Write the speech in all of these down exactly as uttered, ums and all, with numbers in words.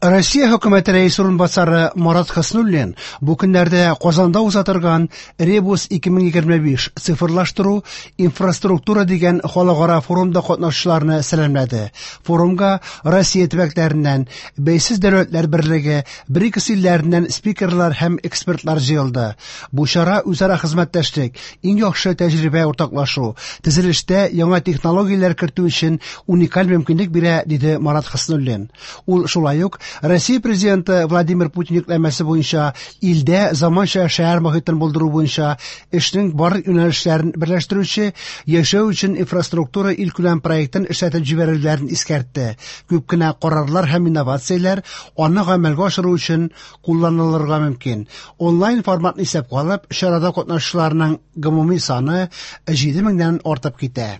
Россия хөкүмәте рәисе урынбасары Марат Хөснуллин бу көннәрдә Казанда уза торган Ребус ике мең егерме биш цифрлаштыру инфраструктура дигән халыкара форумда катнашучыларны сәламләде. Форумга Россия төбәкләреннән, Бәйсез дәүләтләр берлеге, БРИКС илләреннән спикерлар һәм экспертлар җыелды. Бу чара үзара хезмәттәшлек, иң яхшы тәҗрибә уртаклашу, төзелештә яңа технологияләр кертү өчен уникаль мөмкинлек бирә, диде Марат Хөснуллин. Ул шулай ук Россия президенты Владимир Путин йөкләмәсе буенча илдә заманча шәһәр мохитен булдыру буенча эшнең барлык юнәлешләрен берләштерүче яшәү өчен инфраструктура илкүләм проектын эшләтеп җибәрүләрен искәртте. Күп кенә карарлар һәм инновацияләр аны гамәлгә ашыру өчен кулланылырга мөмкин. Онлайн форматны исәпкә алып, чарада катнашучыларның гомуми саны җиде меңнән артып китә.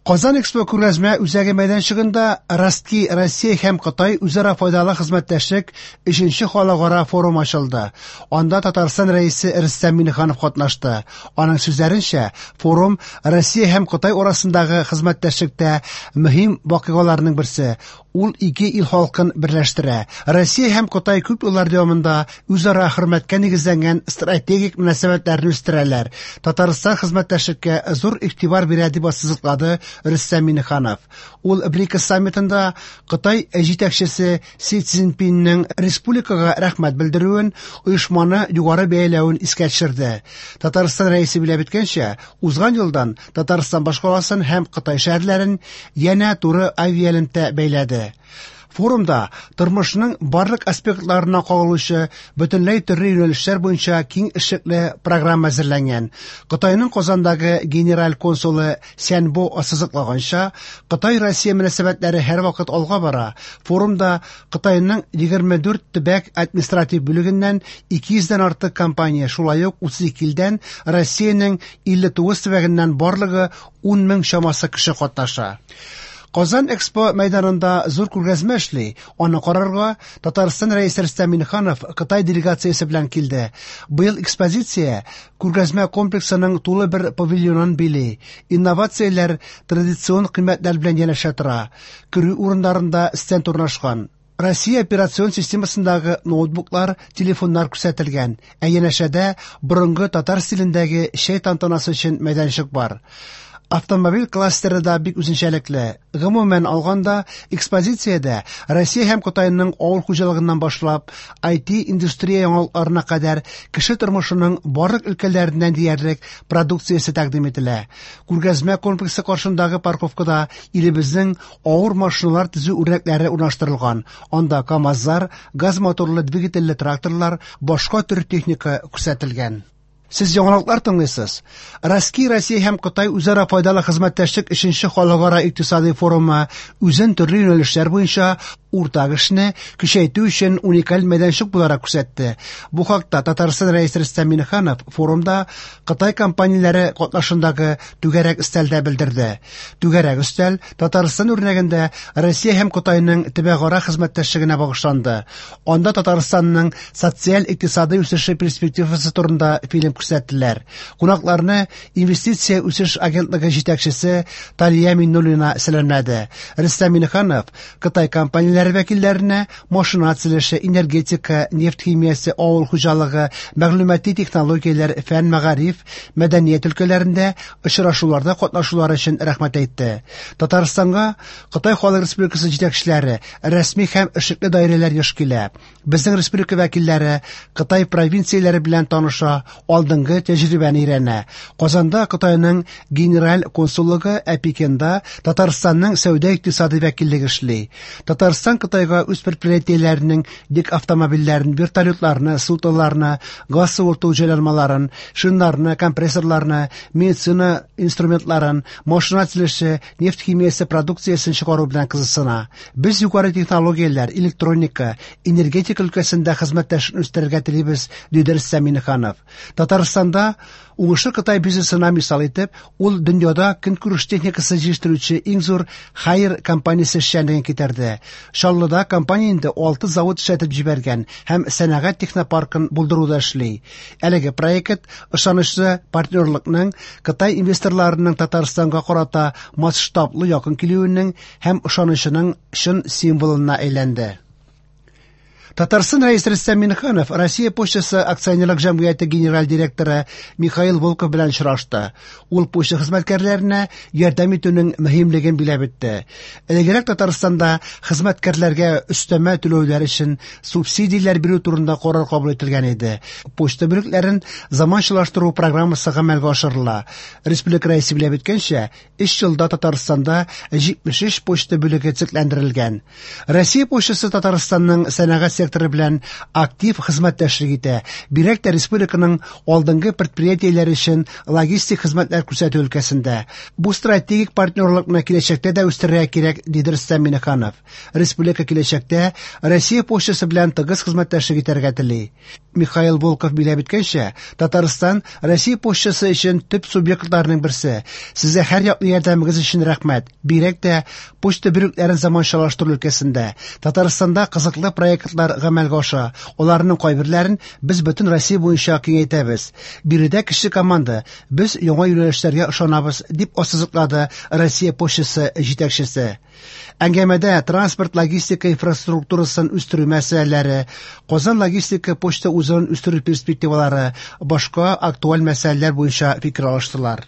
Казан Экспо күргәзмә үзәге мәйданчыгында Ростки, Россия һәм Кытай үзара файдалы хезмәттәшлек өченче халыкара форум ачылды. Анда Татарстан рәисе Рөстәм Миңнеханов катнашты. Аның сүзләренчә, форум Россия һәм Кытай арасындагы хезмәттәшлектә мөһим вакыйгаларның берсе. Ул ике ил халкын берләштерә. Россия һәм Кытай күп еллар дәвамында үзара хөрмәткә нигезләнгән стратегик мөнәсәбәтләрне үстерәләр. Татарстан хезмәттәшлеккә зур игътибар бирә, дип ассызыклады Рөстәм Миңнеханов. Ул БРИКС саммитында Кытай җитәкчесе Си Цзиньпиннең республикага рәхмәт белдерүен, оешманы югары бәяләвен искә төшерде. Татарстан рәисе билгеләп үткәнчә, узган елдан Татарстан башкаласын һәм Кытай шәһәрләрен янә туры авиалемтә бәйләде. Форумда тормышның барлык аспектларына кагылучы бөтенләй төрле юнәлешләр буенча киң эшлекле программа әзерләнгән. Кытайның Казандагы генераль консулы Сянбо ассызыклаганча, Кытай-Россия мөнәсәбәтләре һәрвакыт алга бара. Форумда Кытайның егерме дүрт төбәк административ бүлегеннән ике йөздән артык компания, шулай ук утыз ике илдән Россиянең илле тугыз төбәгеннән барлыгы ун мең чамасы кеше катнаша. Казан Экспо мәйданында зур күргәзмә эшли. Аны карарга Татарстан рәисе Рөстәм Миңнеханов Кытай делегациясе белән килде. Быел экспозиция күргәзмә комплексының тулы бер павильонын били. Инновацияләр традицион кыйммәтләр белән янәшә тора. Керү урыннарында стенд урнашкан. Россия операцион системасындагы ноутбуклар, телефоннар күрсәтелгән. Ә янәшәдә борынгы татар стилендәге чәй тантанасы өчен мәйданчык бар. Автомобиль кластеры да бик үзенчәлекле. Гомумән алганда, экспозициядә Россия һәм Кытайның авыл хуҗалыгыннан башлап, ай ти индустрия яңалыкларына кадәр кеше тормышының барлык өлкәләреннән диярлек продукциясе тәкъдим ителә. Күргәзмә комплексы каршындагы парковкада илебезнең авыр машиналар төзү үрнәкләре урнаштырылган. Анда КАМАЗлар, газ моторлы двигательле тракторлар, башка төр техника күрсәтелгән. Сез яңалыклар тыңлыйсыз. Ростки, Россия һәм Кытай үзара файдалы хезмәттәшлек өченче халыкара икътисади форумы үзен төрле юнәлешләр буенча уртак эшне көчәйтү өчен уникаль мәйданчык буларак күрсәтте. Бу хакта Татарстан рәисе Рөстәм Миңнеханов форумда Кытай компанияләре катнашындагы түгәрәк өстәлдә белдерде. Түгәрәк өстәл Татарстан үрнәгендә Россия һәм Кытайның төбәкара хезмәттәшлегенә багышланды. Анда Татарстанның социаль-икътисади үсеше перспективасы турында фильм күрсәттеләр. Кунакларны Инвестиция үсеш агентлыгы җитәкчесе Талия Миннуллина сәламләде. Рөстәм Миңнеханов Кытай компанияләре вәкилләренә машина төзелеше, энергетика, нефть химиясе, авыл хуҗалыгы, мәгълүмати технологияләр, фән, мәгариф, мәдәният өлкәләрендә очрашуларда катнашулары өчен рәхмәт әйтте. Татарстанга Кытай Халык Республикасы җитәкчеләре, рәсми һәм эшлекле даирәләр еш килә. Безнең республика вәкилләре Кытай провинцияләре белән таныша, алдынгы тәҗрибәне өйрәнә. Казанда Кытайның генераль консуллыгы, ә Пекинда Татарстанның сәүдә-икътисади вәкиллеге эшли. Татарстан Кытайга үз предприятиеләренең йөк автомобильләрен, вертолетларны, судноларны, газ суырту җайланмаларын, шиннарны, компрессорларны, медицина инструментларын, машина төзелеше, нефть химиясе продукциясен чыгару белән кызыксына. Без югары технологияләр, электроника, энергетика өлкәсендә хезмәттәшлекне үстерергә телибез, диде Рөстәм Миңнеханов. Татарстанда уңышлы Кытай бизнесына мисал итеп, ул дөньяда көнкүреш техникасы җитештерүче иң зур Хайер компаниясе эшчәнлеген китерде. Чаллыда компания инде алты завод эшләтеп җибәргән һәм сәнәгать технопаркын булдыруда эшли. Әлеге проект ышанычлы партнерлыкның Кытай инвесторларының Татарстанга карата масштаблы якын килүенең һәм ышанычының чын символына әйләнде. Татарстан Рәисе Рөстәм Миңнеханов Россия почтасы акционерлык җәмгыяте генераль директоры Михаил Волков белән очрашты. Ул почта хезмәткәрләренә ярдәм итүнең мөһимлеген билгеләп үтте. Элегрәк Татарстанда хезмәткәрләргә өстәмә түләүләр өчен субсидияләр бирү турында карар кабул ителгән иде. Почта бүлекләрен заманчалаштыру программасы гамәлгә ашырыла. Республика Рәисе билгеләп үткәнчә, өч елда Татарстанда җитмеш өч почта бүлеге төзекләндерелгән. Россия почтасы Татарстанның сәнәгать секторы белән актив хезмәттәшлек итә. Бигрәк тә республиканың алдынгы предприятиеләре өчен логистик хезмәтләр күрсәтү өлкәсендә. Бу стратегик партнерлыкны киләчәктә дә үстерергә кирәк, диде Рөстәм Миңнеханов. Республика киләчәктә Россия почтасы белән тыгыз хезмәттәшлек итәргә тели. Михаил Волков билгеләп үткәнчә, Татарстан Россия почтасы өчен төп субъектларның берсе. Сезгә һәр яклы ярдәмегез өчен рәхмәт. Бигрәк тә почта бүлекләрен заманчалаштыру өлкәсендә. Татарстанда кызыклы проектлар гамәлгә аша. Аларның кайберләрен без бөтен Россия буенча киңәйтәбез. Биредә кече команда, без яңа юнәлешләргә ышанабыз, дип ассызыклады Россия почтасы җитәкчесе. Әңгәмәдә транспорт логистика инфраструктурасын үстерү мәсьәләләре, Казан логистика почта узелын үстерү перспективалары, башка актуаль мәсьәләләр буенча фикер алыштылар.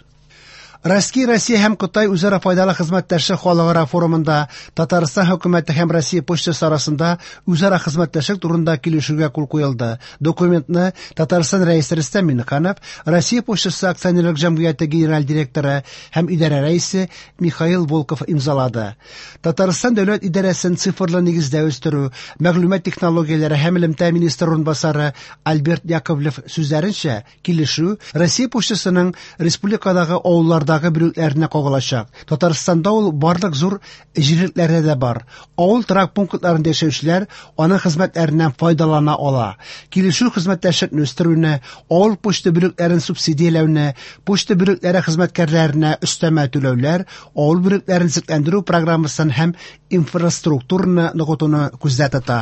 Россия, Россия һәм Кытай үзара файдалы хезмәттәшлек халыкара форумында Татарстан хөкүмәте һәм Россия почтасы арасында үзара хезмәттәшлек турында килешүгә кул куелды. Документны Татарстан Рәисе Рөстәм Миңнеханов, Россия почтасы акционерлык җәмгыяте генераль директоры һәм идарә рәисе Михаил Волков имзалады. Татарстан дәүләт идарәсен цифрлы нигездә үстерү, мәгълүмат технологияләре һәм элемтә министры урынбасары Альберт Яковлев сүзләренчә, килешү Россия почтасының республикадагы авылларда бүлекләренә кагылачак. Татарстанда ул барлык зур җирлекләрдә дә бар. Авыл торак пунктларында яшәүчеләр аның хезмәтләреннән файдалана ала. Килешү хезмәттәшлекне үстерүне, авыл почта бүлекләрен субсидияләүне, почта бүлекләре хезмәткәрләренә өстәмә түләүләр, авыл бүлекләрен төзекләндерү программасын һәм инфраструктураны ныгытуны күздә тота.